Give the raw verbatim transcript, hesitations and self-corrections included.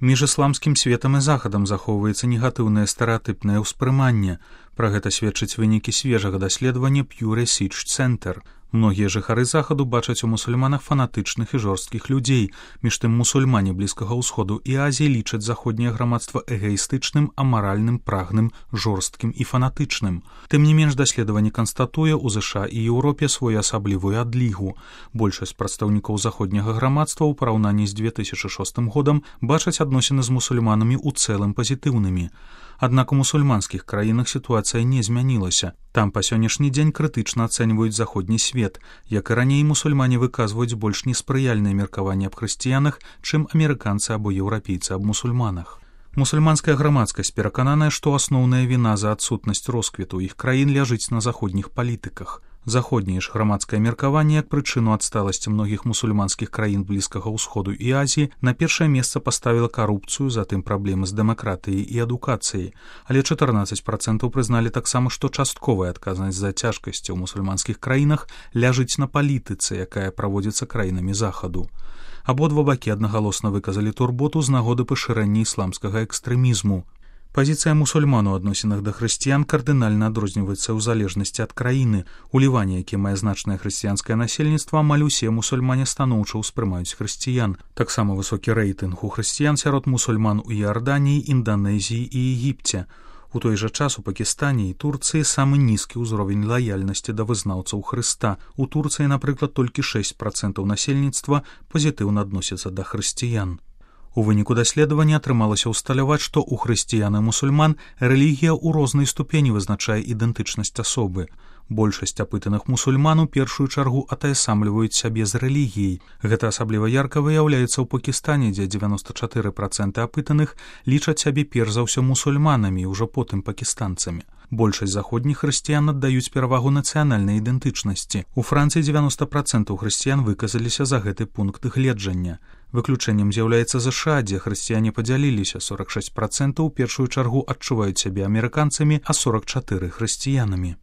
Між ісламскім светам і захадам захоўваецца негатыўнае стэрэатыпнае ўспрыманне. Пра гэта сведчаць вынікі свежага даследавання Pew Research Center. Многія жыхары захаду бачаць у мусульманах фанатычных і жорсткіх людзей. Між тым мусульмане Блізкага ўсходу і Азіі лічаць заходняе грамадства эгаістычным, амаральным, прагным, жорсткім і фанатычным. Тым не менш даследаванне канстатуе ў ЗША і Еўропе своеасаблівую адлігу. Большасць прадстаўнікоў заходняга грамадства ў параўнанні з две тысячы шостым годам бачаць адносіны з мусульманамі ў цэлым пазітыўнымі. Аднак у мусульманскіх краінах сітуацыя не змянілася. Там па сённяшні дзень крытычна ацэньваюць заходні свет. Як і раней, мусульмане выказваюць больш неспрыяльнае меркаванне аб хрысціянах, чым амерыканцы або еўрапейцы аб мусульманах. Мусульманская грамадскасць перакананая, што асноўная віна за адсутнасць росквіту іх краін ляжыць на заходніх палітыках. Заходняе ж грамадскае меркаванне як прычыну адсталасці многіх мусульманскіх краін Блізкага ўсходу і Азіі на першае месца паставіла карупцыю, затым праблемы з дэмакратыяй і адукацыяй. Але чатырнаццаць працэнтаў прызналі таксама, што частковая адказнасць за цяжкасці ў мусульманскіх краінах ляжыць на палітыцы, якая праводзіцца краінамі захаду. Абодва бакі аднагалосна выказалі турботу з нагоды пашырэння ісламскага экстрэмізму. Пазіцыя мусульман у адносінах да хрысціян кардынальна адрозніваецца ў залежнасці ад краіны. У Ліване, які мае значнае хрысціянскае насельніцтва, амаль усе мусульмане станоўча ўспрымаюць хрысціян. Таксама высокі рэйтынг у хрысціян сярод мусульман у Іарданіі, Інданезіі і Егіпце. У той жа час у Пакістане і Турцыі самы нізкі ўзровень лаяльнасці да вызнаўцаў Хрыста. У Турцыі, напрыклад, толькі шэсць працэнтаў насельніцтва пазітыўна адносяцца да хрысціян. У выніку даследавання атрымалася ўсталяваць, што ў хрысціян і мусульман рэлігія ў рознай ступені вызначае ідэнтычнасць асобы. Большасць апытаных мусульман у першую чаргу атаясамліваюць сябе з рэлігіяй. Гэта асабліва ярка выяўляецца ў Пакістане, дзе дзевяноста чатыры працэнты апытаных лічаць сябе перш за ўсё мусульманамі і ўжо потым пакістанцамі. Большасць заходніх хрысціян аддаюць перавагу нацыянальнай ідэнтычнасці. У Францыі дзевяноста працэнтаў хрысціян выказаліся за гэты пункт гледжання. Выключэннем з'яўляецца ЗША, дзе хрысціяне падзяліліся, сорак шэсць працэнтаў у першую чаргу адчуваюць сябе амерыканцамі, а сорак чатыры хрысціянамі.